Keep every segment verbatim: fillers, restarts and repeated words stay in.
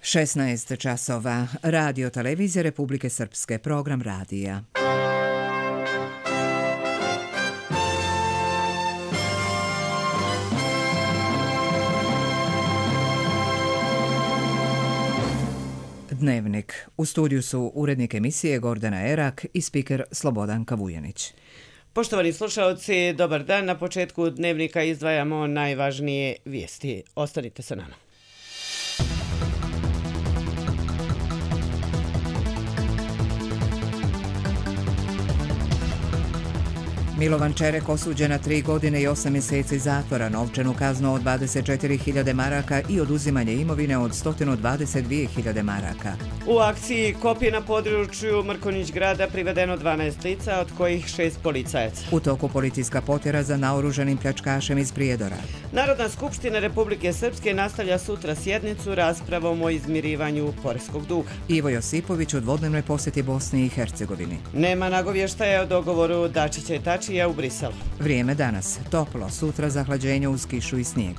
šesnaest časova. Radio televizije Republike Srpske. Program radija. Dnevnik. U studiju su urednik emisije Gordana Erak i spiker Slobodanka Vujanić. Poštovani slušalci, dobar dan. Na početku dnevnika izdvajamo najvažnije vijesti. Ostanite sa nama. Milovan Čerek osuđen na tri godine i osam mjeseci zatvora, novčanu kaznu od dvadeset četiri hiljade maraka i oduzimanje imovine od sto dvadeset dvije hiljade maraka. U akciji Kopje na području Mrkonjić grada privedeno dvanaest lica, od kojih šest policajaca. U toku policijska potjera za naoružanim pljačkašem iz Prijedora. Narodna skupština Republike Srpske nastavlja sutra sjednicu raspravom o izmirivanju poreskog duga. Ivo Josipović u dvodnevnoj posjeti Bosni i Hercegovini. Nema nagovještaja o dogovoru Dačića i Tačija u Briselu. Vrijeme danas. Toplo, sutra zahlađenje uz kišu i snijeg.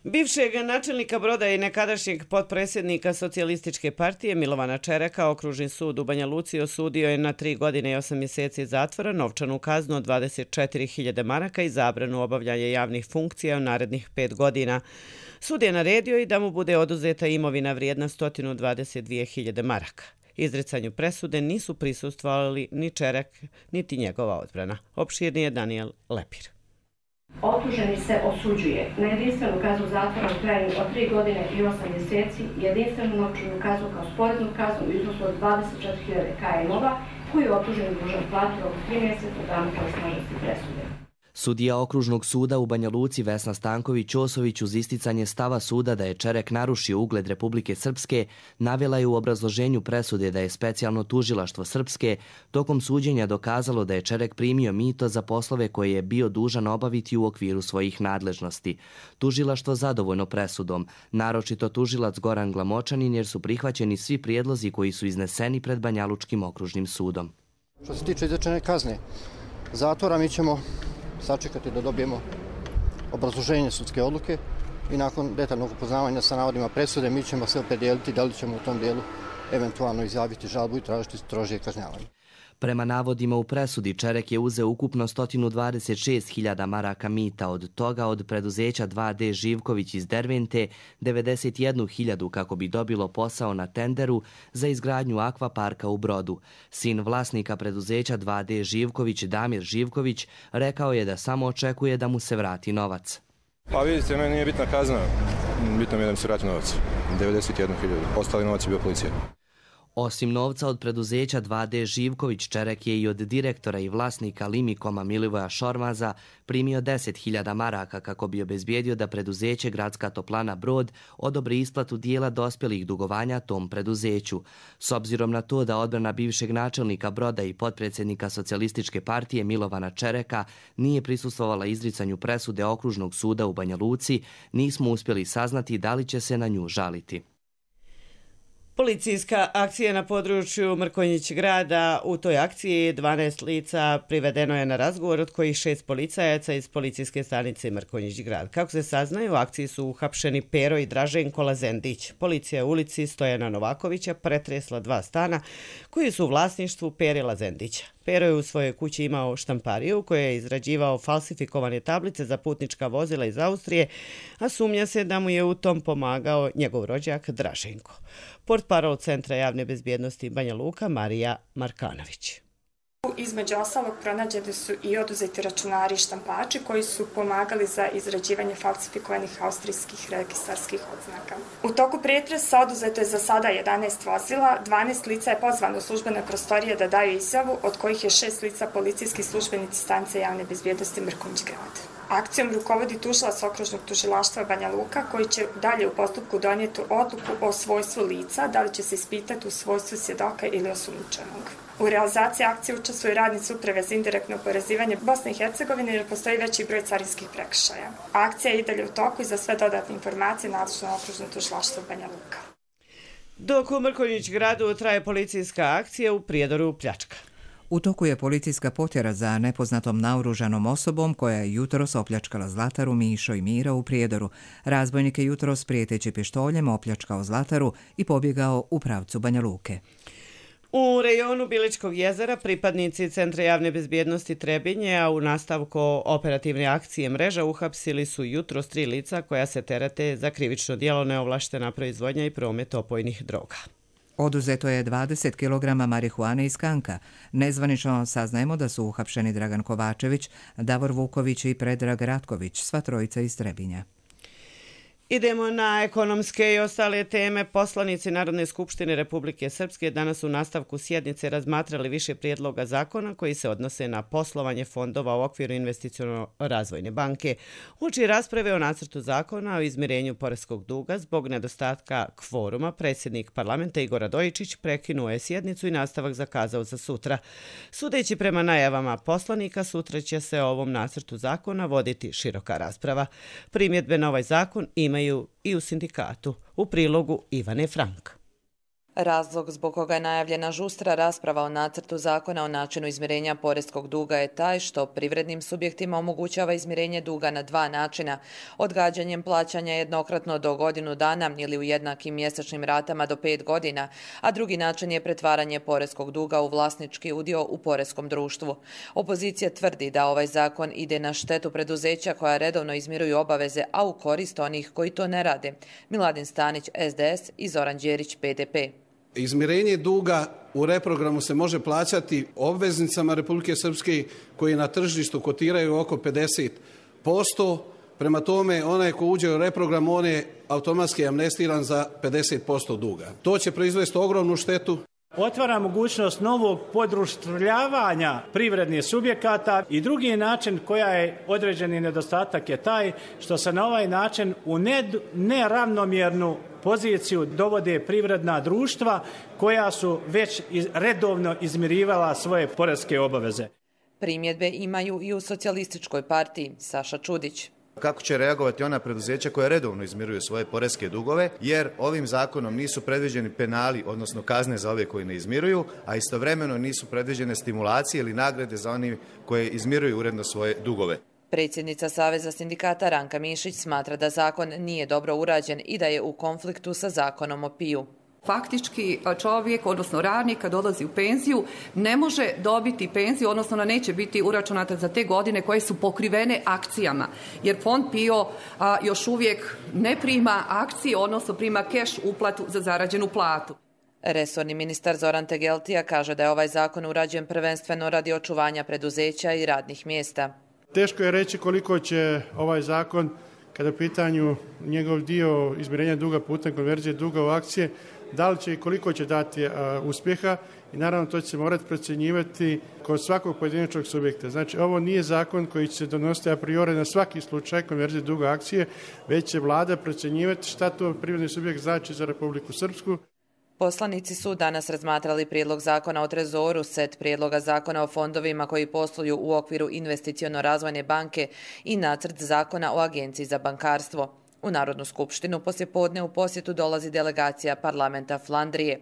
Bivšeg načelnika Broda i nekadašnjeg potpredsjednika Socijalističke partije Milovana Čereka Okružni sud u Banja Luci osudio je na tri godine i osam mjeseci zatvora, novčanu kaznu od dvadeset četiri hiljade maraka i zabranu obavljanja javnih funkcija u narednih pet godina. Sud je naredio i da mu bude oduzeta imovina vrijedna sto dvadeset dvije hiljade maraka. Izricanju presude nisu prisustvovali ni Čerek, niti njegova odbrana. Opširnije je Daniel Lepir. Optuženi se osuđuje na jedinstvenu kaznu zatvora u trajanju od tri godine i osam mjeseci, jedinstvenu novčanu kaznu kao sporednu kaznu u iznosu od dvadeset četiri hiljade kajmova, koju je optuženi dužan platiti oko tri mjeseca od dana pravosnažnosti presude. Sudija Okružnog suda u Banja Luci Vesna Stanković-Ćosović uz isticanje stava suda da je Čerek narušio ugled Republike Srpske navela je u obrazloženju presude da je specijalno tužilaštvo Srpske tokom suđenja dokazalo da je Čerek primio mito za poslove koje je bio dužan obaviti u okviru svojih nadležnosti. Tužilaštvo zadovoljno presudom, naročito tužilac Goran Glamočanin, jer su prihvaćeni svi prijedlozi koji su izneseni pred Banjalučkim okružnim sudom. Što se tiče izrečene kazne zatvora, mi ćemo sačekati da dobijemo obrazloženje sudske odluke i nakon detaljnog upoznavanja sa navodima presude mi ćemo se opredijeliti da li ćemo u tom dijelu eventualno izjaviti žalbu i tražiti strožije kažnjavanje. Prema navodima u presudi, Čerek je uzeo ukupno sto dvadeset šest hiljada maraka mita, od toga od preduzeća dva D Živković iz Dervente devedeset jednu hiljadu kako bi dobilo posao na tenderu za izgradnju akvaparka u Brodu. Sin vlasnika preduzeća dva D Živković, Damir Živković, rekao je da samo očekuje da mu se vrati novac. Pa vidite, meni nije bitna kazna, bitno mi je da mi se vrati novac, devedeset jednu hiljadu, ostali novac je bio policija. Osim novca od preduzeća dva D Živković, Čerek je i od direktora i vlasnika Limikoma Milivoja Šormaza primio deset hiljada maraka kako bi obezbijedio da preduzeće Gradska toplana Brod odobri isplatu dijela dospjelih dugovanja tom preduzeću. S obzirom na to da odbrana bivšeg načelnika Broda i potpredsjednika Socijalističke partije Milovana Čereka nije prisustvovala izricanju presude Okružnog suda u Banja Luci, nismo uspjeli saznati da li će se na nju žaliti. Policijska akcija na području Mrkonjić grada. U toj akciji dvanaest lica privedeno je na razgovor, od kojih šest policajaca iz policijske stanice Mrkonjić grad. Kako se saznaje, u akciji su uhapšeni Pero i Draženko Lazendić. Policija u ulici Stojana Novakovića pretresla dva stana koji su u vlasništvu Pere Lazendića. Pero je u svojoj kući imao štampariju u kojoj je izrađivao falsifikovane tablice za putnička vozila iz Austrije, a sumnja se da mu je u tom pomagao njegov rođak Draženko. Portparol Centra javne bezbjednosti Banja Luka Marija Markanović. Između ostalog pronađeni su i oduzeti računari i štampači koji su pomagali za izrađivanje falsifikovanih austrijskih registarskih odznaka. U toku pretresa oduzeto je za sada jedanaest vozila, dvanaest lica je pozvano u službene prostorije da daju izjavu, od kojih je šest lica policijski službenici stanice javne bezbjednosti Mrkonjić grad. Akcijom rukovodi tužilac Okružnog tužilaštva Banja Luka, koji će dalje u postupku donijeti odluku o svojstvu lica, da li će se ispitati u svojstvu svjedoka ili osumnjičenog. U realizaciji akcije učestvuju radnici uprave za indirektno oporezivanje Bosne i Hercegovine jer postoji veći broj carinskih prekršaja. Akcija je i dalje u toku i za sve dodatne informacije nadležno Okružno tužilaštvo Banja Luka. Dok u Mrkonjić gradu traje policijska akcija, u Prijedoru pljačka. U toku je policijska potjera za nepoznatom naoružanom osobom koja je jutros opljačkala zlataru Mišo i Mira u Prijedoru. Razbojnik je jutros prijeteći pištoljem opljačkao zlataru i pobjegao u pravcu Banja Luke. U rejonu Biličkog jezera pripadnici Centra javne bezbjednosti Trebinje, a u nastavku operativne akcije Mreža uhapsili su jutros tri lica koja se terete za krivično djelo neovlaštena proizvodnja i promet opojnih droga. Oduzeto je dvadeset kilograma marihuane iz Kanka. Nezvanično saznajemo da su uhapšeni Dragan Kovačević, Davor Vuković i Predrag Ratković, sva trojica iz Trebinja. Idemo na ekonomske i ostale teme. Poslanici Narodne skupštine Republike Srpske danas u nastavku sjednice razmatrali više prijedloga zakona koji se odnose na poslovanje fondova u okviru investiciono-razvojne banke. Uoči rasprave o nacrtu zakona o izmirenju poreskog duga zbog nedostatka kvoruma, predsjednik parlamenta Igor Radojičić prekinuo je sjednicu i nastavak zakazao za sutra. Sudeći prema najavama poslanika, sutra će se o ovom nacrtu zakona voditi široka rasprava. Primjedbe na ovaj zakon imaju i u sindikatu. U prilogu Ivane Frank. Razlog zbog koga je najavljena žustra rasprava o nacrtu zakona o načinu izmirenja poreskog duga je taj što privrednim subjektima omogućava izmirenje duga na dva načina, odgađanjem plaćanja jednokratno do godinu dana ili u jednakim mjesečnim ratama do pet godina, a drugi način je pretvaranje poreskog duga u vlasnički udio u poreskom društvu. Opozicija tvrdi da ovaj zakon ide na štetu preduzeća koja redovno izmiruju obaveze, a u korist onih koji to ne rade. Miladin Stanić, S D S i Zoran Đerić, P D P. Izmirenje duga u reprogramu se može plaćati obveznicama Republike Srpske koji na tržištu kotiraju oko pedeset posto. Prema tome, onaj ko uđe u reprogram, on je automatski amnestiran za pedeset posto duga. To će proizvesti ogromnu štetu. Otvara mogućnost novog podruštavanja privrednih subjekata i drugi način koja je određeni nedostatak je taj što se na ovaj način u neravnomjernu poziciju dovode privredna društva koja su već redovno izmirivala svoje poreske obaveze. Primjedbe imaju i u socijalističkoj partiji. Saša Čudić. Kako će reagovati ona preduzeća koja redovno izmiruju svoje poreske dugove, jer ovim zakonom nisu predviđeni penali, odnosno kazne za ove koji ne izmiruju, a istovremeno nisu predviđene stimulacije ili nagrade za oni koji izmiruju uredno svoje dugove. Predsjednica Saveza sindikata Ranka Mišić smatra da zakon nije dobro urađen i da je u konfliktu sa zakonom o P I U. Faktički čovjek, odnosno radnik, kad dolazi u penziju, ne može dobiti penziju, odnosno neće biti uračunata za te godine koje su pokrivene akcijama. Jer fond P I O a, još uvijek ne prima akcije, odnosno prima keš uplatu za zarađenu platu. Resorni ministar Zoran Tegeltija kaže da je ovaj zakon urađen prvenstveno radi očuvanja preduzeća i radnih mjesta. Teško je reći koliko će ovaj zakon, kada je u pitanju njegov dio izmirenja duga putem konverzije duga u akcije, da li će i koliko će dati a, uspjeha i naravno to će se morati procjenjivati kod svakog pojedinačnog subjekta. Znači ovo nije zakon koji će se donositi a priori na svaki slučaj konverzije duga akcije, već će vlada procjenjivati šta to privredni subjekt znači za Republiku Srpsku. Poslanici su danas razmatrali prijedlog zakona o trezoru, set prijedloga zakona o fondovima koji posluju u okviru investiciono-razvojne banke i nacrt zakona o agenciji za bankarstvo. U Narodnu skupštinu poslijepodne u posjetu dolazi delegacija parlamenta Flandrije.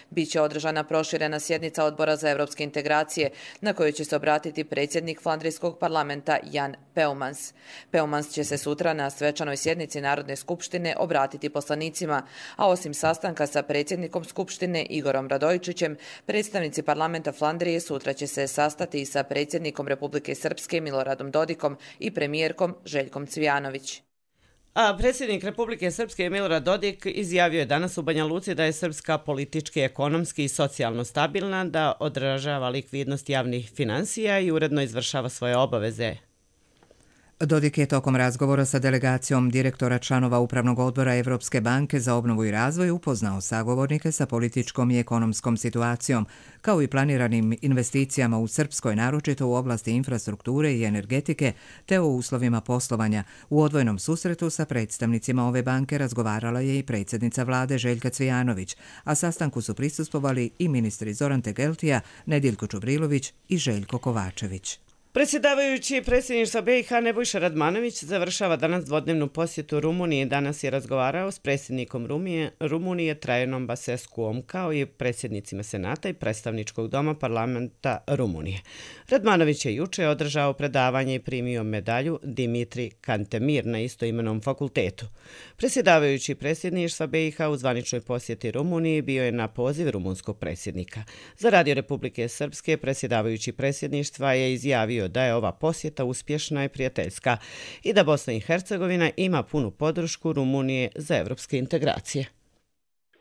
Biće održana proširena sjednica odbora za evropske integracije na kojoj će se obratiti predsjednik flandrijskog parlamenta Jan Peumans. Peumans će se sutra na svečanoj sjednici Narodne skupštine obratiti poslanicima, a osim sastanka sa predsjednikom skupštine Igorom Radojičićem, predstavnici parlamenta Flandrije sutra će se sastati i sa predsjednikom Republike Srpske Miloradom Dodikom i premijerkom Željkom Cvijanović. A predsjednik Republike Srpske Milorad Dodik izjavio je danas u Banja Luci da je Srpska politički, ekonomski i socijalno stabilna, da odražava likvidnost javnih finansija i uredno izvršava svoje obaveze. Dodik je tokom razgovora sa delegacijom direktora članova Upravnog odbora Evropske banke za obnovu i razvoj upoznao sagovornike sa političkom i ekonomskom situacijom, kao i planiranim investicijama u Srpskoj, naročito u oblasti infrastrukture i energetike, te o uslovima poslovanja. U odvojenom susretu sa predstavnicima ove banke razgovarala je i predsjednica vlade Željka Cvijanović, a sastanku su prisustvovali i ministri Zoran Tegeltija, Nediljko Čubrilović i Željko Kovačević. Predsjedavajući predsjedništva B i H Nebojša Radmanović završava danas dvodnevnu posjetu Rumuniji. Danas je razgovarao s predsjednikom Rumunije, Rumunije Trajanom Basescuom kao i predsjednicima Senata i predstavničkog doma parlamenta Rumunije. Radmanović je juče održao predavanje i primio medalju Dimitri Kantemir na istoimenom fakultetu. Predsjedavajući predsjedništva B i H u zvaničnoj posjeti Rumuniji bio je na poziv rumunskog predsjednika. Za Radio Republike Srpske predsjedavajući predsjedništva je izjavio da je ova posjeta uspješna i prijateljska i da Bosna i Hercegovina ima punu podršku Rumunije za evropske integracije.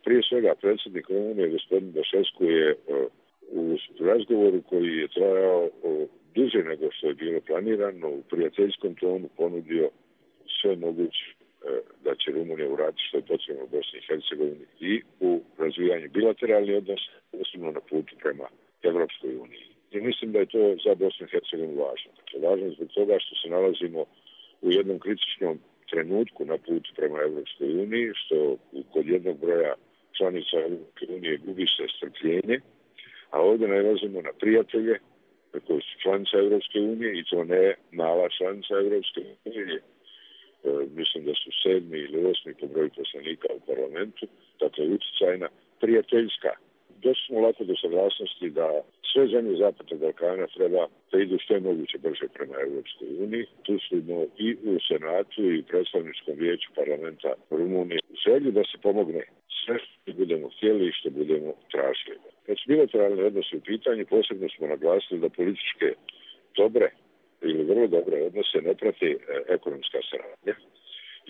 Prije svega predsjednik Rumunije, gospodin Basescu, je u razgovoru koji je trajao duže nego što je bilo planirano, u prijateljskom tonu ponudio sve moguće da će Rumunija uraditi što je potrebno u Bosni i Hercegovini i u razvijanju bilateralnih odnosa, osobno na putu prema Evropskoj uniji. I mislim da je to za Bosnu i Hercegovinu važno. Dakle, važno zbog toga što se nalazimo u jednom kritičnom trenutku na putu prema Evropskoj uniji, što kod jednog broja članica Evropske unije gubi se strpljenje, a ovdje nalazimo na prijatelje koji su članica Evropske unije i to ne mala članica Evropske unije. E, mislim da su sedmi ili osmi po broju poslanika u parlamentu, dakle utjecajna, prijateljska. Došli smo lako do saglasnosti da sve zemlje Zapadnog Balkana treba da idu što je moguće brže prema Evropskoj uniji. Tu smo i u Senatu i u predstavničkom vijeću parlamenta Rumunije u želji da se pomogne sve što budemo htjeli i što budemo tražili. Kad su bilateralni odnosi u pitanju, posebno smo naglasili da političke dobre ili vrlo dobre odnose ne prati e, ekonomska saradnja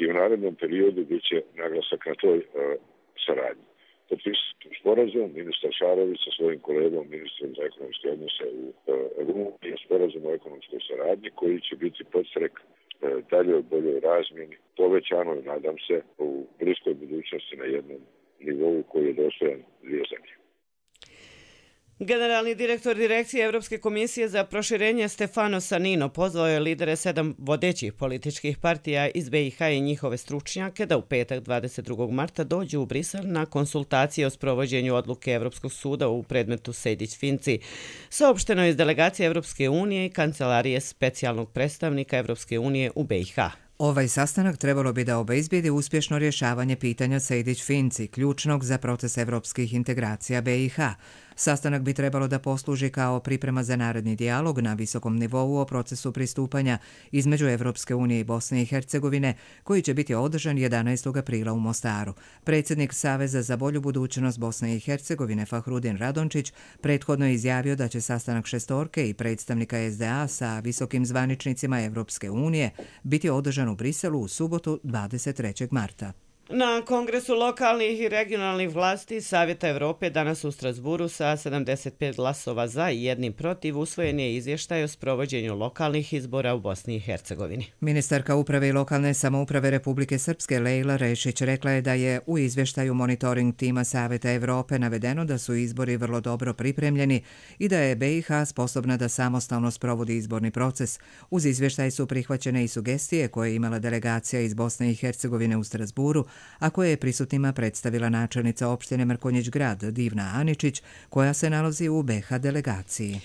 i u narednom periodu bit će naglasak na toj e, saradnji. Potpisati sporazum, ministar Šarović sa svojim kolegom, ministrom za ekonomske odnose u Rumuniji, je sporazum o ekonomskoj saradnji koji će biti podstrek e, dalje od boljoj razmjeni, povećano i nadam se u bliskoj budućnosti na jednom nivou koji je dostojan dvije zemlje. Generalni direktor Direkcije Evropske komisije za proširenje Stefano Sanino pozvao je lidere sedam vodećih političkih partija iz B i H i njihove stručnjake da u petak dvadeset drugog marta dođu u Brisel na konsultacije o sprovođenju odluke Evropskog suda u predmetu Sejdić-Finci. Saopšteno je iz delegacije Evropske unije i kancelarije specijalnog predstavnika Evropske unije u B i H. Ovaj sastanak trebalo bi da obezbijedi uspješno rješavanje pitanja Sejdić-Finci, ključnog za proces evropskih integracija B i H. Sastanak bi trebalo da posluži kao priprema za naredni dijalog na visokom nivou o procesu pristupanja između Evropske unije i Bosne i Hercegovine, koji će biti održan jedanaestog aprila u Mostaru. Predsjednik Saveza za bolju budućnost Bosne i Hercegovine Fahrudin Radončić prethodno je izjavio da će sastanak šestorke i predstavnika S D A sa visokim zvaničnicima Evropske unije biti održan u Briselu u subotu dvadeset trećeg marta. Na Kongresu lokalnih i regionalnih vlasti Savjeta Evrope danas u Strasburu sa sedamdeset pet glasova za i jednim protiv usvojen je izvještaj o sprovođenju lokalnih izbora u Bosni i Hercegovini. Ministarka uprave i lokalne samouprave Republike Srpske Lejla Rešić rekla je da je u izvještaju monitoring tima Savjeta Evrope navedeno da su izbori vrlo dobro pripremljeni i da je B i H sposobna da samostalno sprovodi izborni proces. Uz izvještaj su prihvaćene i sugestije koje je imala delegacija iz Bosne i Hercegovine u Strasburu, a koje je prisutnima predstavila načelnica opštine Mrkonjić Grad Divna Aničić, koja se nalazi u B i H delegaciji.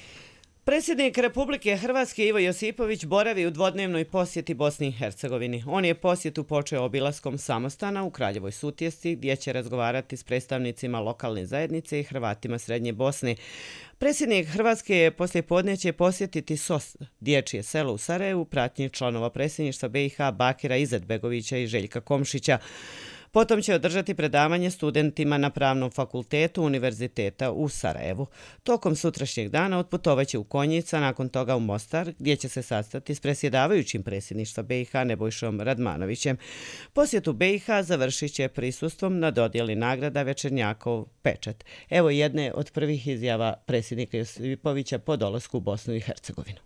Predsjednik Republike Hrvatske Ivo Josipović boravi u dvodnevnoj posjeti Bosni i Hercegovini. On je posjetu počeo obilaskom samostana u Kraljevoj Sutjesci, gdje će razgovarati s predstavnicima lokalne zajednice i Hrvatima Srednje Bosne. Predsjednik Hrvatske je poslijepodne će posjetiti S O S, dječje selo u Sarajevu, pratnji članova predsjedništva B i H Bakira Izetbegovića i Željka Komšića. Potom će održati predavanje studentima na Pravnom fakultetu Univerziteta u Sarajevu. Tokom sutrašnjeg dana otputovaće u Konjica, nakon toga u Mostar, gdje će se sastati s predsjedavajućim predsjedništva B i H Nebojšom Radmanovićem. Posjetu B i H završit će prisustvom na dodjeli nagrada Večernjakov pečat. Evo jedne od prvih izjava predsjednika Josipovića po dolasku u Bosnu i Hercegovinu.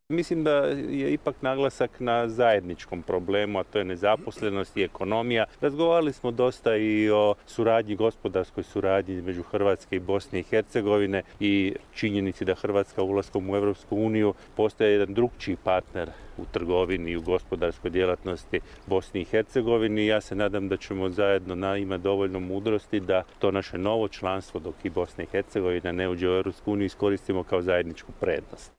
Mislim da je ipak naglasak na zajedničkom problemu, a to je nezaposlenost i ekonomija. Razgovarali smo dosta i o suradnji, gospodarskoj suradnji između Hrvatske i Bosne i Hercegovine i činjenici da Hrvatska ulaskom u Europsku uniju postaje jedan drugčiji partner u trgovini i u gospodarskoj djelatnosti Bosni i Hercegovini. Ja se nadam da ćemo zajedno na, imati dovoljno mudrosti da to naše novo članstvo, dok i Bosna i Hercegovina ne uđe u Europsku uniju, iskoristimo kao zajedničku prednost.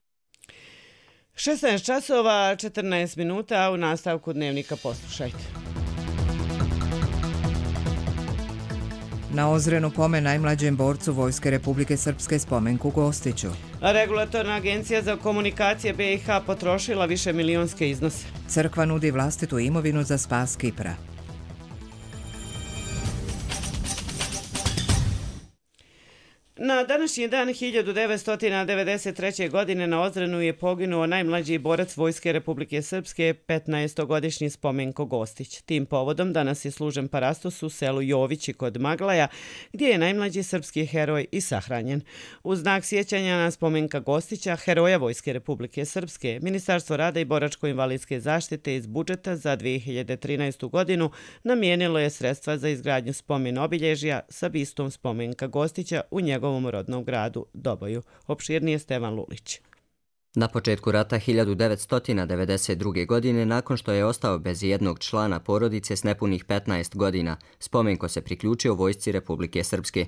šesnaest časova, četrnaest minuta, u nastavku dnevnika poslušajte. Na Ozrenu pomen najmlađem borcu Vojske Republike Srpske Spomenku Gostiću. Regulatorna agencija za komunikacije B i H potrošila više milionske iznose. Crkva nudi vlastitu imovinu za spas Kipra. Na današnji dan hiljadu devetsto devedeset treće. godine na Ozrenu je poginuo najmlađi borac Vojske Republike Srpske, petnaestogodišnji Spomenko Gostić. Tim povodom danas je služen parastos u selu Jovići kod Maglaja, gdje je najmlađi srpski heroj i sahranjen. U znak sjećanja na Spomenka Gostića, heroja Vojske Republike Srpske, Ministarstvo rada i boračko-invalidske zaštite iz budžeta za dve hiljade trinaestu. godinu namijenilo je sredstva za izgradnju spomen obilježja sa bistom Spomenka Gostića u njegovom u rodnom gradu Doboju. Opširnije Stevan Lulić. Na početku rata hiljadu devetsto devedeset druge. godine, nakon što je ostao bez jednog člana porodice s nepunih petnaest godina, Spomenko se priključio Vojsci Republike Srpske.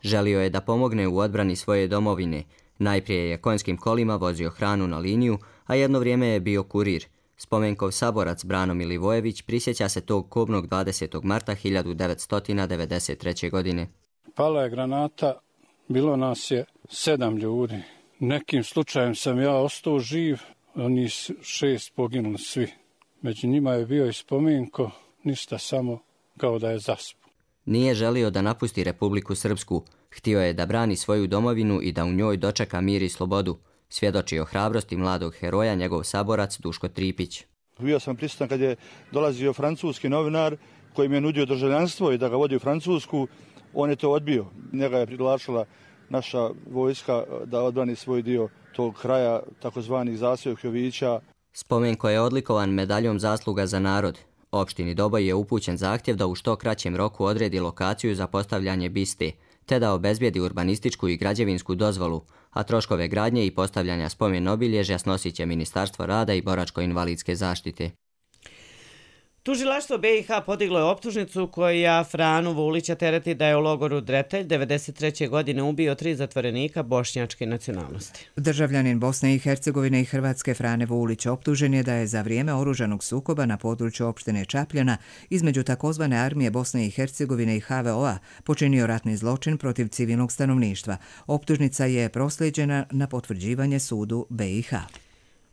Želio je da pomogne u odbrani svoje domovine. Najprije je konjskim kolima vozio hranu na liniju, a jedno vrijeme je bio kurir. Spomenkov saborac Brano Milivojević prisjeća se tog kobnog dvadesetog marta hiljadu devetsto devedeset treće. godine. Pala je granata. Bilo nas je sedam ljudi. Nekim slučajem sam ja ostao živ, oni šest poginuli svi. Među njima je bio i Spomenko, ništa, samo kao da je zaspao. Nije želio da napusti Republiku Srpsku. Htio je da brani svoju domovinu i da u njoj dočeka mir i slobodu. Svjedoči o hrabrosti mladog heroja njegov saborac Duško Tripić. Bio sam prisutan kad je dolazio francuski novinar koji mi je nudio državljanstvo i da ga vodi u Francusku. On je to odbio. Njega je priglašala naša vojska da odbrani svoj dio tog kraja, takozvanih zasjevih Jovića. Spomenko je odlikovan medaljom zasluga za narod. Opštini Doboj je upućen zahtjev da u što kraćem roku odredi lokaciju za postavljanje biste, te da obezbijedi urbanističku i građevinsku dozvolu, a troškove gradnje i postavljanja spomen obilježja snosit će Ministarstvo rada i boračko-invalidske zaštite. Tužilaštvo B i H podiglo je optužnicu koja Franu Vulića tereti da je u logoru Dretelj devedeset treće. godine ubio tri zatvorenika bošnjačke nacionalnosti. Državljanin Bosne i Hercegovine i Hrvatske Frane Vulić optužen je da je za vrijeme oružanog sukoba na području opštine Čapljana između takozvane armije Bosne i Hercegovine i H V O-a počinio ratni zločin protiv civilnog stanovništva. Optužnica je proslijeđena na potvrđivanje sudu B i H.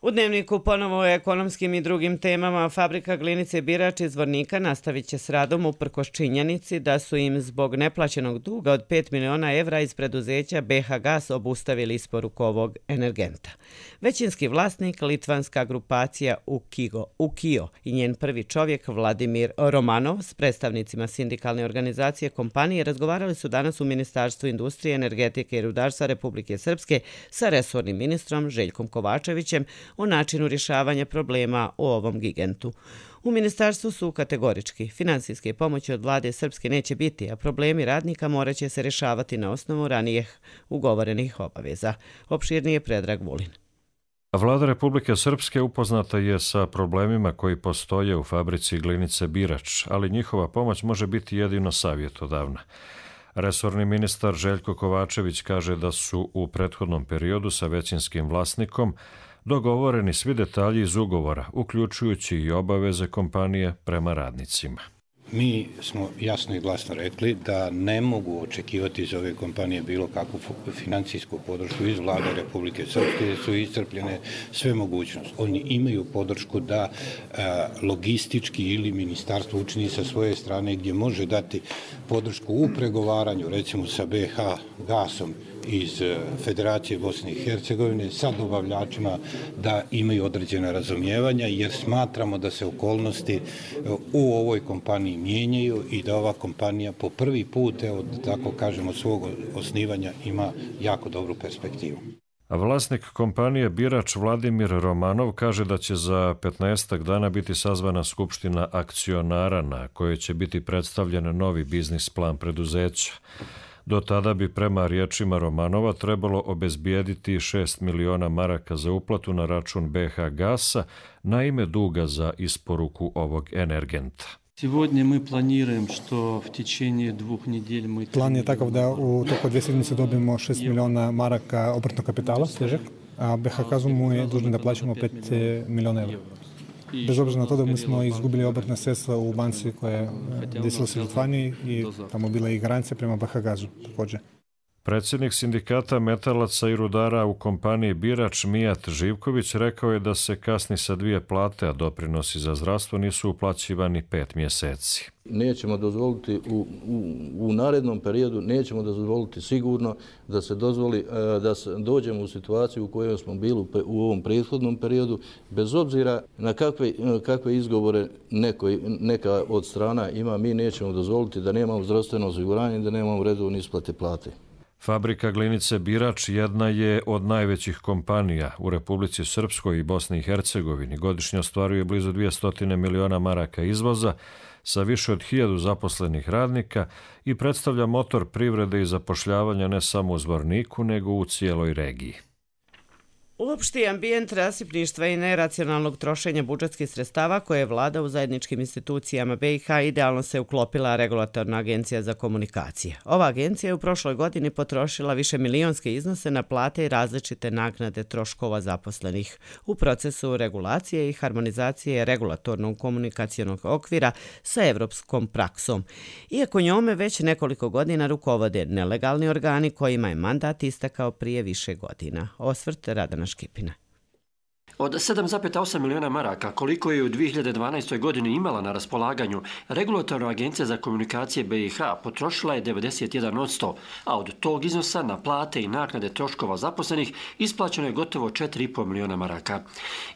U dnevniku ponovo o ekonomskim i drugim temama. Fabrika glinice Birač iz Zvornika nastavit će s radom uprkos činjenici da su im zbog neplaćenog duga od pet miliona evra iz preduzeća B H Gas obustavili isporuku ovog energenta. Većinski vlasnik, litvanska grupacija Ukigo, Ukio i njen prvi čovjek Vladimir Romanov s predstavnicima sindikalne organizacije kompanije razgovarali su danas u Ministarstvu industrije, energetike i rudarstva Republike Srpske sa resornim ministrom Željkom Kovačevićem o načinu rješavanja problema u ovom gigantu. U ministarstvu su kategorički. Finansijske pomoći od vlade Srpske neće biti, a problemi radnika morat će se rješavati na osnovu ranijih ugovorenih obaveza. Opširnije Predrag Vulin. Vlada Republike Srpske upoznata je sa problemima koji postoje u fabrici glinice Birač, ali njihova pomoć može biti jedino savjetodavna. Resorni ministar Željko Kovačević kaže da su u prethodnom periodu sa većinskim vlasnikom dogovoreni svi detalji iz ugovora, uključujući i obaveze kompanije prema radnicima. Mi smo jasno i glasno rekli da ne mogu očekivati iz ove kompanije bilo kakvu financijsku podršku iz vlade Republike Srpske, jer su iscrpljene sve mogućnosti. Oni imaju podršku da a, logistički ili ministarstvo učini sa svoje strane gdje može dati podršku u pregovaranju, recimo sa B H Gasom iz Federacije Bosne i Hercegovine, sa dobavljačima da imaju određena razumijevanja, jer smatramo da se okolnosti u ovoj kompaniji mijenjaju i da ova kompanija po prvi put, evo, tako kažemo, svog osnivanja ima jako dobru perspektivu. Vlasnik kompanije Birač Vladimir Romanov kaže da će za petnaestak dana biti sazvana skupština akcionara na kojoj će biti predstavljen novi biznis plan preduzeća. Do tada bi prema riječima Romanova trebalo obezbijediti šest miliona maraka za uplatu na račun B H Gasa na ime duga za isporuku ovog energenta. Сегодня мы планируем, что в течение двух недель мы... План je takav da u toku dvije sedmice dobijemo šest miliona maraka obrtnog kapitala, svežeg. a B H Kazum mu je dužan da plaćamo pet miliona evra. Bez obzira na to da mi smo izgubili obrtna sredstva u banci koja je desila se u Litvaniji i tamo bila i garancija prema B H Gazu također. Predsjednik sindikata metalaca i rudara u kompaniji Birač Mijat Živković rekao je da se kasni sa dvije plate, a doprinosi za zdravstvo nisu uplaćivani pet mjeseci. Nećemo dozvoliti u, u, u narednom periodu, nećemo dozvoliti sigurno da se dozvoli da se dođemo u situaciju u kojoj smo bili u ovom prethodnom periodu, bez obzira na kakve, kakve izgovore neko, neka od strana ima, mi nećemo dozvoliti da nemamo zdravstveno osiguranje, da nemamo redovne isplate plate. Fabrika glinice Birač jedna je od najvećih kompanija u Republici Srpskoj i Bosni i Hercegovini. Godišnje ostvaruje blizu dvjesto miliona maraka izvoza sa više od hiljadu zaposlenih radnika i predstavlja motor privrede i zapošljavanja ne samo u Zvorniku, nego u cijeloj regiji. Uopšti ambijent rasipništva i neracionalnog trošenja budžetskih sredstava koje je vlada u zajedničkim institucijama B i H idealno se uklopila Regulatorna agencija za komunikacije. Ova agencija je u prošloj godini potrošila više milionske iznose na plate i različite naknade troškova zaposlenih u procesu regulacije i harmonizacije regulatornog komunikacionog okvira sa evropskom praksom. Iako njome već nekoliko godina rukovode nelegalni organi kojima je mandat istekao prije više godina. Osvrt Radana Škipina. Od sedam zarez osam miliona maraka, koliko je u dvije hiljade dvanaestoj. godini imala na raspolaganju, Regulatorna agencija za komunikacije B i H potrošila je devedeset jedan posto, a od tog iznosa na plate i naknade troškova zaposlenih isplaćeno je gotovo četiri zarez pet miliona maraka.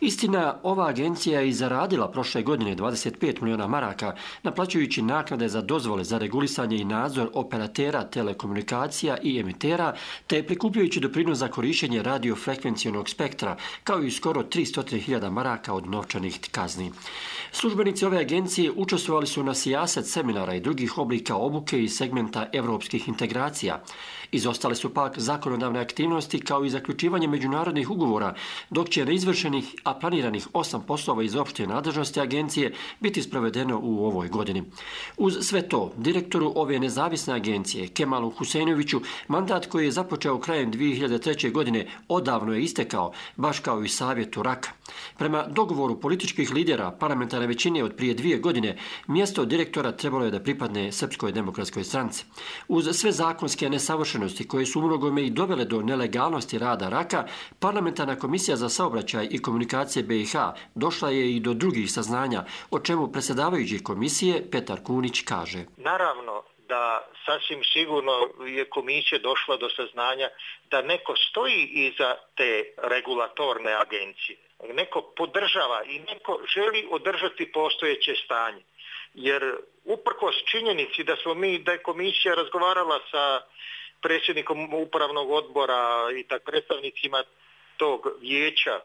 Istina, ova agencija je i zaradila prošle godine dvadeset pet miliona maraka, naplaćujući naknade za dozvole za regulisanje i nadzor operatera telekomunikacija i emitera, te prikupljujući doprinos za korištenje radiofrekvencijonog spektra, kao i skoro tristo hiljada maraka od novčanih kazni. Službenici ove agencije učestvovali su na sijaset seminara i drugih oblika obuke iz segmenta evropskih integracija. Izostale su pak zakonodavne aktivnosti kao i zaključivanje međunarodnih ugovora, dok će neizvršenih, a planiranih osam poslova iz opšte nadležnosti agencije biti sprovedeno u ovoj godini. Uz sve to, direktoru ove nezavisne agencije, Kemalu Huseinoviću, mandat koji je započeo krajem dvije hiljade treće. godine odavno je istekao, baš kao i savjetu Raka. Prema dogovoru političkih lidera parlamentarne većine od prije dvije godine, mjesto direktora trebalo je da pripadne Srpskoj demokratskoj stranci. Uz sve zakonske nesavršenosti koje su umnogome i dovele do nelegalnosti rada Raka, Parlamentarna komisija za saobraćaj i komunikacije B i H došla je i do drugih saznanja, o čemu predsjedavajući komisije Petar Kunić kaže. Naravno da sasvim sigurno je komisija došla do saznanja da neko stoji iza te regulatorne agencije. Neko podržava i neko želi održati postojeće stanje. Jer uprkos činjenici da smo mi, da je komisija razgovarala sa predsjednikom upravnog odbora i tak predstavnicima tog vijeća,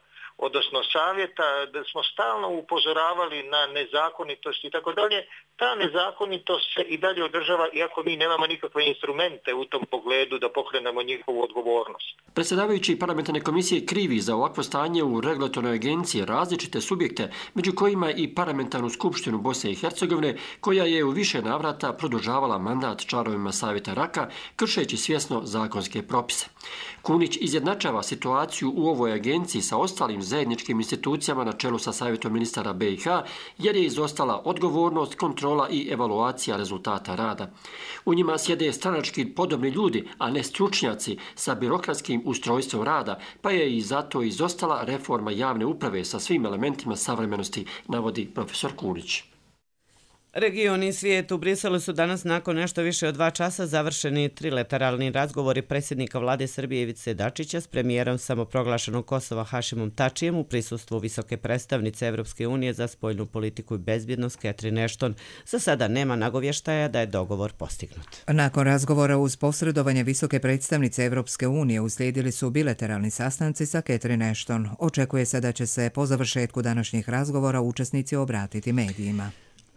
odnosno savjeta, da smo stalno upozoravali na nezakonitosti i tako dalje, ta nezakonitost se i dalje održava iako mi nemamo nikakve instrumente u tom pogledu da pokrenemo njihovu odgovornost. Predsjedavajući parlamentarne komisije krivi za ovakvo stanje u regulatornoj agenciji različite subjekte, među kojima i parlamentarnu skupštinu Bosne i Hercegovine, koja je u više navrata produžavala mandat članovima savjeta Raka, kršeći svjesno zakonske propise. Kunić izjednačava situaciju u ovoj agenciji sa ostalim zajedničkim institucijama na čelu sa savjetom ministara B i H, jer je izostala odgovornost, kontrola i evaluacija rezultata rada. U njima sjede stranački podobni ljudi, a ne stručnjaci sa birokratskim ustrojstvom rada, pa je i zato izostala reforma javne uprave sa svim elementima savremenosti, navodi profesor Kunić. Region i svijet u Briselu su danas nakon nešto više od dva časa završeni trilateralni razgovori predsjednika vlade Srbije Ivice Dačića s premijerom samoproglašenog Kosova Hašimom Tačijem u prisustvu visoke predstavnice Evropske unije za spoljnu politiku i bezbjednost Catherine Ashton. Za sada nema nagovještaja da je dogovor postignut. Nakon razgovora uz posredovanje visoke predstavnice Evropske unije uslijedili su bilateralni sastanci sa Catherine Ashton. Očekuje se da će se po završetku današnjih razgovora učesnici obratiti medijima.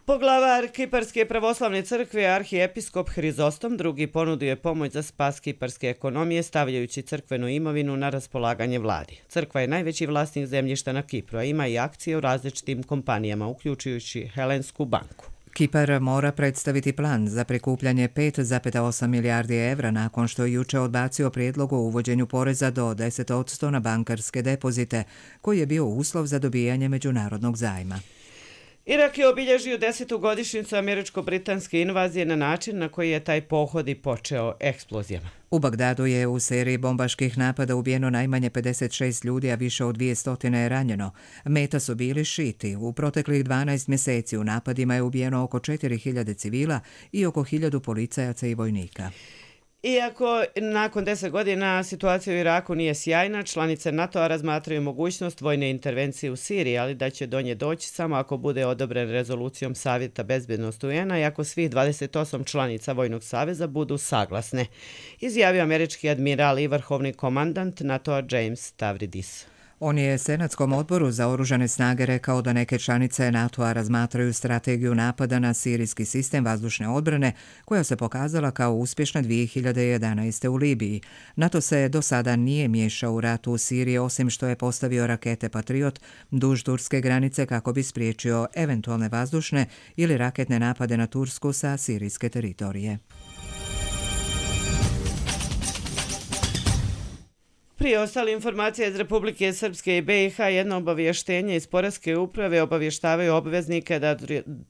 Poglavar Kiparske pravoslavne crkve, arhijepiskop Hrizostom drugi ponudio je pomoć za spas kiparske ekonomije stavljajući crkvenu imovinu na raspolaganje vladi. Crkva je najveći vlasnik zemljišta na Kipru, a ima i akcije u različitim kompanijama, uključujući Helensku banku. Kipar mora predstaviti plan za prikupljanje pet zarez osam milijardi evra nakon što je juče odbacio prijedlog o uvođenju poreza do deset posto na bankarske depozite, koji je bio uslov za dobijanje međunarodnog zajma. Irak je obilježio desetu godišnjicu američko-britanske invazije na način na koji je taj pohod i počeo eksplozijama. U Bagdadu je u seriji bombaških napada ubijeno najmanje pedeset šest ljudi, a više od dvije stotine je ranjeno. Meta su bili šiti. U proteklih dvanaest mjeseci u napadima je ubijeno oko četiri hiljade civila i oko hiljadu policajaca i vojnika. Iako nakon deset godina situacija u Iraku nije sjajna, članice NATO-a razmatraju mogućnost vojne intervencije u Siriji, ali da će do nje doći samo ako bude odobren rezolucijom Savjeta bezbednosti U N-a i ako svih dvadeset osam članica Vojnog saveza budu saglasne, izjavio američki admiral i vrhovni komandant NATO-a James Stavridis. On je Senatskom odboru za oružane snage rekao da neke članice NATO-a razmatraju strategiju napada na sirijski sistem vazdušne odbrane, koja se pokazala kao uspješna dvije hiljade jedanaeste. u Libiji. NATO se do sada nije miješao u ratu u Siriji, osim što je postavio rakete Patriot duž turske granice kako bi spriječio eventualne vazdušne ili raketne napade na Tursku sa sirijske teritorije. Prije ostale informacije iz Republike Srpske i B i H, jedno obavještenje iz Poreske uprave obavještavaju obveznike da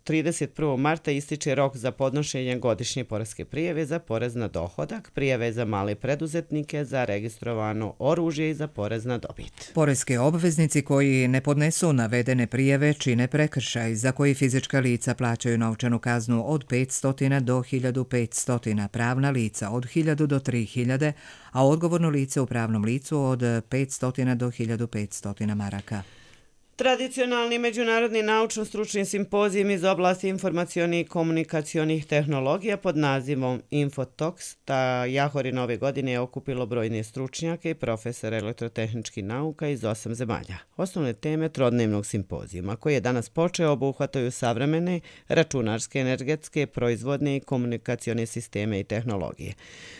trideset prvog marta ističe rok za podnošenje godišnje poreske prijave za porez na dohodak, prijave za male preduzetnike, za registrovano oružje i za porez na dobit. Poreski obveznici koji ne podnesu navedene prijave čine prekršaj za koji fizička lica plaćaju novčanu kaznu od petsto do hiljadu petsto, pravna lica od hiljadu do tri hiljade, a odgovorno lice u pravnom licu od petsto do hiljadu petsto maraka. Tradicionalni međunarodni naučno-stručni simpozijum iz oblasti informacionih i komunikacionih tehnologija pod nazivom Infotox ta Jahorina ove godine je okupilo brojne stručnjake i profesore elektrotehničkih nauka iz osam zemalja. Osnovne teme trodnevnog simpozijuma, koji je danas počeo, obuhvataju savremene računarske, energetske, proizvodne i komunikacione sisteme i tehnologije.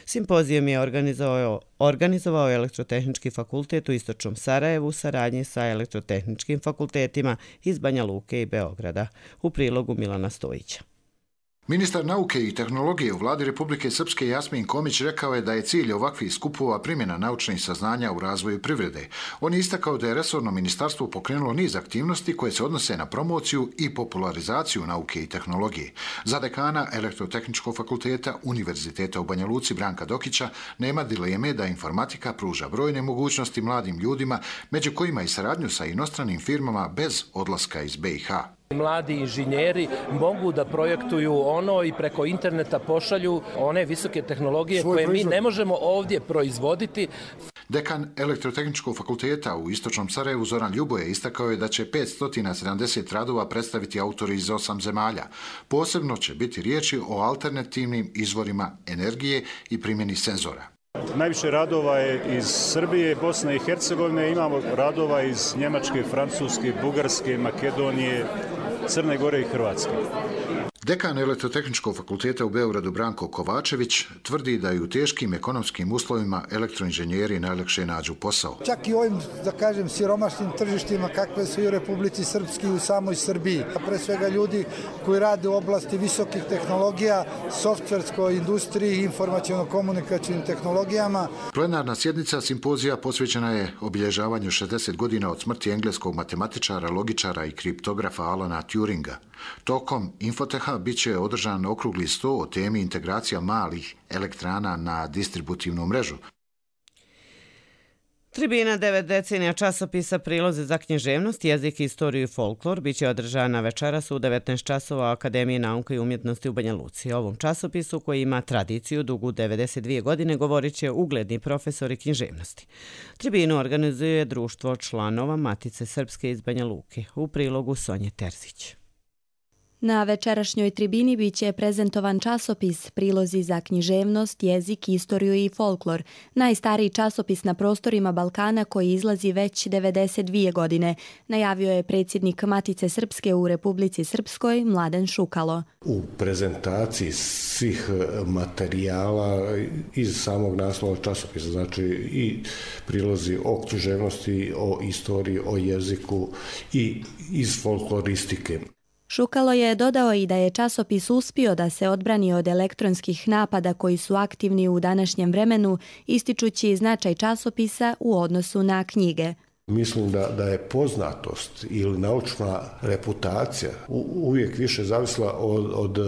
Simpozijum je organizovao, organizovao Elektrotehnički fakultet u Istočnom Sarajevu u saradnji sa elektrotehničkim fakultetima iz Banja Luke i Beograda, u prilogu Milana Stojića. Ministar nauke i tehnologije u vladi Republike Srpske Jasmin Komić rekao je da je cilj ovakvih skupova primjena naučnih saznanja u razvoju privrede. On je istakao da je resorno ministarstvo pokrenulo niz aktivnosti koje se odnose na promociju i popularizaciju nauke i tehnologije. Za dekana Elektrotehničkog fakulteta Univerziteta u Banja Luci Branka Dokića nema dileme da informatika pruža brojne mogućnosti mladim ljudima, među kojima i saradnju sa inostranim firmama bez odlaska iz B i H. Mladi inženjeri mogu da projektuju ono i preko interneta pošalju one visoke tehnologije Svoj koje proizvod. mi ne možemo ovdje proizvoditi. Dekan Elektrotehničkog fakulteta u Istočnom Sarajevu Zoran Ljuboje istakao je da će petsto sedamdeset radova predstaviti autori iz osam zemalja. Posebno će biti riječi o alternativnim izvorima energije i primjeni senzora. Najviše radova je iz Srbije, Bosne i Hercegovine, imamo radova iz Njemačke, Francuske, Bugarske, Makedonije, Crne Gore i Hrvatske. Dekan Elektrotehničkog fakulteta u Beogradu Branko Kovačević tvrdi da i u teškim ekonomskim uslovima elektroinženjeri najlakše nađu posao. Čak i ovim, da kažem, siromašnim tržištima kakve su i u Republici Srpski i u samoj Srbiji. Pre svega ljudi koji rade u oblasti visokih tehnologija, softverskoj industriji i informaciono-komunikacijnim tehnologijama. Plenarna sjednica simpozija posvećena je obilježavanju šezdeset godina od smrti engleskog matematičara, logičara i kriptografa Alana Turinga. Tokom Infoteha bit će održan okrugli sto o temi integracija malih elektrana na distributivnu mrežu. Tribina devet decenija časopisa Prilozi za književnost, jezik, istoriju i folklor bit će održana večeras u devetnaest časova u Akademiji nauke i umjetnosti u Banja Luci. O ovom časopisu, koji ima tradiciju dugu devedeset dvije godine, govorit će ugledni profesori književnosti. Tribinu organizuje društvo članova Matice Srpske iz Banja Luke, u prilogu Sonje Terzić. Na večerašnjoj tribini biće prezentovan časopis Prilozi za književnost, jezik, istoriju i folklor, najstariji časopis na prostorima Balkana koji izlazi već devedeset dvije godine, najavio je predsjednik Matice Srpske u Republici Srpskoj Mladen Šukalo. U prezentaciji svih materijala iz samog naslova časopisa, znači i prilozi o književnosti, o istoriji, o jeziku i iz folkloristike. Šukalo je dodao i da je časopis uspio da se odbrani od elektronskih napada koji su aktivni u današnjem vremenu, ističući značaj časopisa u odnosu na knjige. Mislim da, da je poznatost ili naučna reputacija u, uvijek više zavisla od, od uh,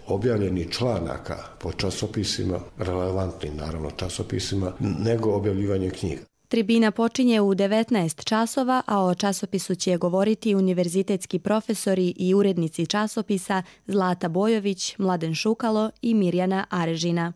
objavljenih članaka po časopisima, relevantnim naravno časopisima, nego objavljivanje knjiga. Tribina počinje u devetnaest časova, a o časopisu će govoriti univerzitetski profesori i urednici časopisa Zlata Bojović, Mladen Šukalo i Mirjana Arežina.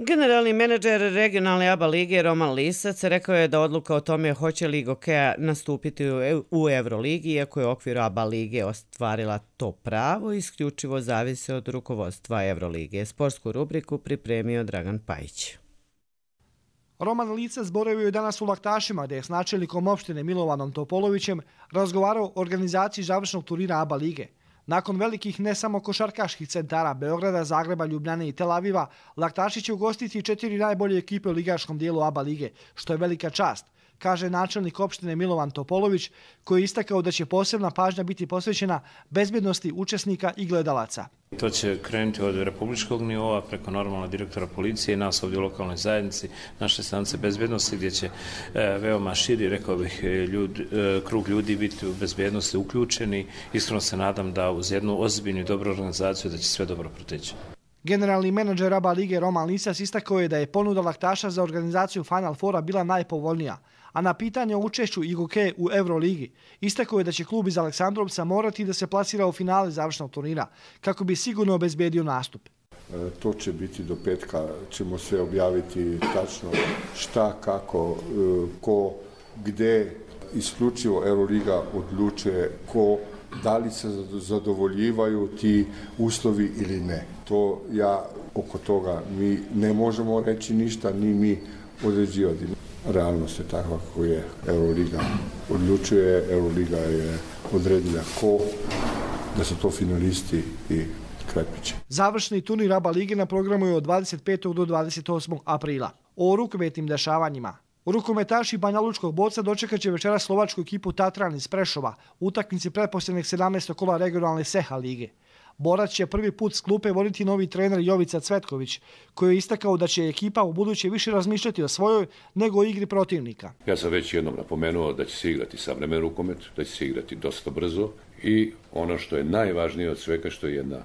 Generalni menadžer regionalne ABA lige Roman Lisac rekao je da odluka o tome hoće li Gokeja nastupiti u Euroligi, iako je u okviru ABA lige ostvarila to pravo, isključivo zavisi od rukovodstva Eurolige. Sportsku rubriku pripremio Dragan Pajić. Roman Lisac boravio je danas u Laktašima, gdje je s načelnikom opštine Milovanom Topolovićem razgovarao o organizaciji završnog turnira ABA lige. Nakon velikih ne samo košarkaških centara Beograda, Zagreba, Ljubljane i Tel Aviva, Laktaši će ugostiti četiri najbolje ekipe u ligaškom dijelu ABA lige, što je velika čast, kaže načelnik opštine Milovan Topolović, koji je istakao da će posebna pažnja biti posvećena bezbjednosti učesnika i gledalaca. To će krenuti od republičkog nivoa preko normalna direktora policije i nas ovdje u lokalnoj zajednici, naše stanice bezbjednosti, gdje će e, veoma širi, rekao bih, ljud, e, krug ljudi biti u bezbjednosti uključeni. Iskreno se nadam da uz jednu ozbiljnu i dobru organizaciju da će sve dobro proteći. Generalni menadžer ABA lige Roman Lisac istakao je da je ponuda Laktaša za organizaciju Final Fora bila najpovoljnija, a na pitanje o učešću i Gokeje u Euroligi istakao je da će klub iz Aleksandrovca morati da se plasira u finale završnog turnira kako bi sigurno obezbedio nastup. E, to će biti do petka, ćemo sve objaviti tačno šta, kako, e, ko, gde, isključivo Euroliga odlučuje ko, da li se zadovoljivaju ti uslovi ili ne. To ja oko toga mi ne možemo reći ništa, ni mi određivati. Realnost je takva kako je. Euroliga odlučuje, Euroliga je odredila ko, da su to finalisti i kraj priče. Završni turnir ABA lige na programu je od dvadeset petog do dvadeset osmog aprila. O rukometnim dešavanjima. Rukometaši Banja Lučkog Boca dočekat će večera slovačku ekipu Tatran iz Prešova u utakmici pretposljednjeg sedamnaestog kola regionalne Seha lige. Borac će prvi put s klupe voditi novi trener Jovica Cvetković, koji je istakao da će ekipa u buduće više razmišljati o svojoj nego o igri protivnika. Ja sam već jednom napomenuo da će se igrati savremen rukomet, da će se igrati dosta brzo i ono što je najvažnije od svega, što je jedna e,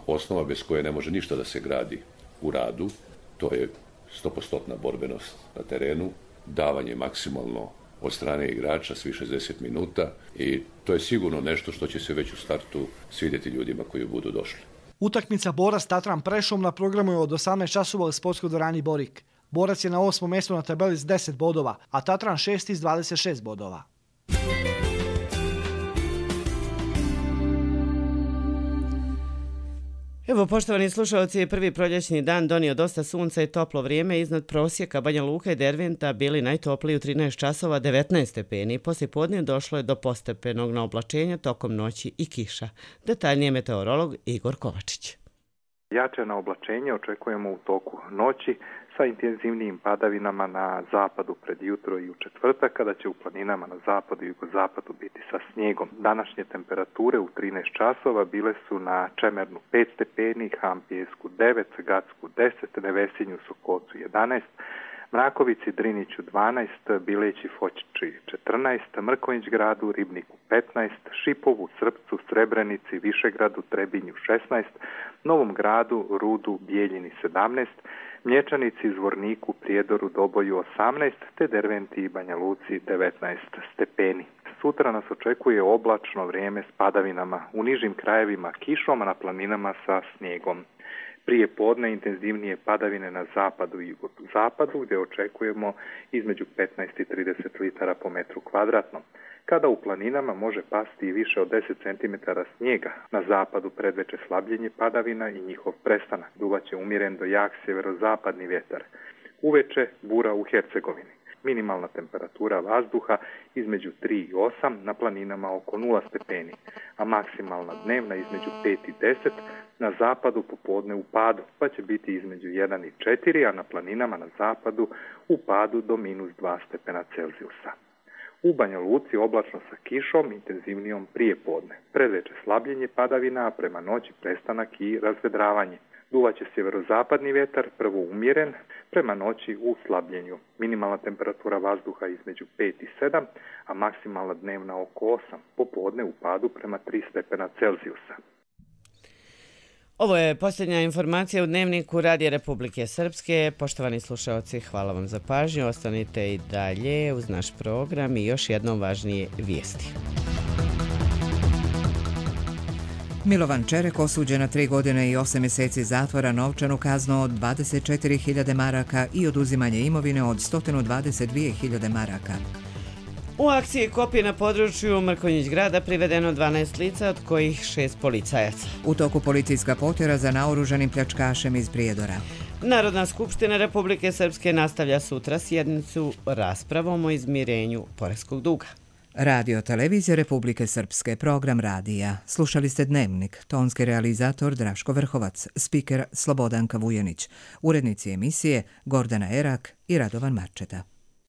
osnova bez koje ne može ništa da se gradi u radu, to je stopostotna borbenost na terenu, davanje maksimalno od strane igrača svi šezdeset minuta i to je sigurno nešto što će se već u startu svidjeti ljudima koji budu došli. Utakmica Borac Tatran Prešov na programu je od osamnaest časova u sportskoj dvorani Borik. Borac je na osmom mjestu na tabeli s deset bodova, a Tatran šesti s dvadeset šest bodova. Evo, poštovani slušalci, prvi proljećni dan donio dosta sunca i toplo vrijeme. Iznad prosjeka Banja Luka i Derventa bili najtopliji u trinaest časova devetnaest stepeni. Poslije podne došlo je do postepenog naoblačenja tokom noći i kiša. Detaljnije meteorolog Igor Kovačić. Jače naoblačenje očekujemo u toku noći sa intenzivnijim padavinama na zapadu pred jutro i u četvrtak, kada će u planinama na zapadu i jugozapadu biti sa snijegom. Današnje temperature u trinaest časova bile su na Čemernu pet stepeni, Hampijesku devet, Gacku deset, Nevesinju, Sokolcu jedanaest, Mrakovici, Driniću dvanaest, Bileći, Fočići četrnaest, Mrkonjić gradu, Ribniku petnaest, Šipovu, Srpcu, Srebrenici, Višegradu, Trebinju šesnaest, Novom gradu, Rudu, Bijeljini sedamnaest, Mlječanici, Zvorniku, Prijedoru, Doboju osamnaest, te Derventi i Banja Luci devetnaest stepeni. Sutra nas očekuje oblačno vrijeme s padavinama, u nižim krajevima kišom, a na planinama sa snijegom. Prije podne intenzivnije padavine na zapadu i jugozapadu, gdje očekujemo između petnaest i trideset litara po metru kvadratnom, kada u planinama može pasti i više od deset centimetara snijega. Na zapadu predveče slabljenje padavina i njihov prestanak. Duvaće umjeren do jak sjeverozapadni vjetar. Uveče bura u Hercegovini. Minimalna temperatura vazduha između tri i osam, na planinama oko nula stepeni, a maksimalna dnevna između pet i deset, na zapadu popodne u padu, pa će biti između jedan i četiri, a na planinama na zapadu u padu do minus dva stepena Celzijusa. U Banja Luci oblačno sa kišom, intenzivnijom prije podne. Predveče slabljenje padavina, a prema noći prestanak i razvedravanje. Duvaće sjeverozapadni vjetar, prvo umjeren, prema noći u slabljenju. Minimalna temperatura vazduha između pet i sedam, a maksimalna dnevna oko osam. Popodne u padu prema tri stepena Celzijusa. Ovo je posljednja informacija u Dnevniku Radija Republike Srpske. Poštovani slušalci, hvala vam za pažnju. Ostanite i dalje uz naš program i još jednom važnije vijesti. Milovan Čerek osuđen na tri godine i osam mjeseci zatvora, novčanu kaznu od dvadeset četiri hiljade maraka i oduzimanje imovine od sto dvadeset dvije hiljade maraka. U akciji kopije na području Mrkonjić grada privedeno dvanaest lica, od kojih šest policajaca. U toku policijska potjera za naoružanim pljačkašem iz Prijedora. Narodna skupština Republike Srpske nastavlja sutra sjednicu raspravom o izmirenju poreskog duga. Radio Televizija Republike Srpske, program radija. Slušali ste Dnevnik, tonski realizator Draško Vrhovac, spiker Slobodanka Vujanić, urednici emisije Gordana Erak i Radovan Marčeta.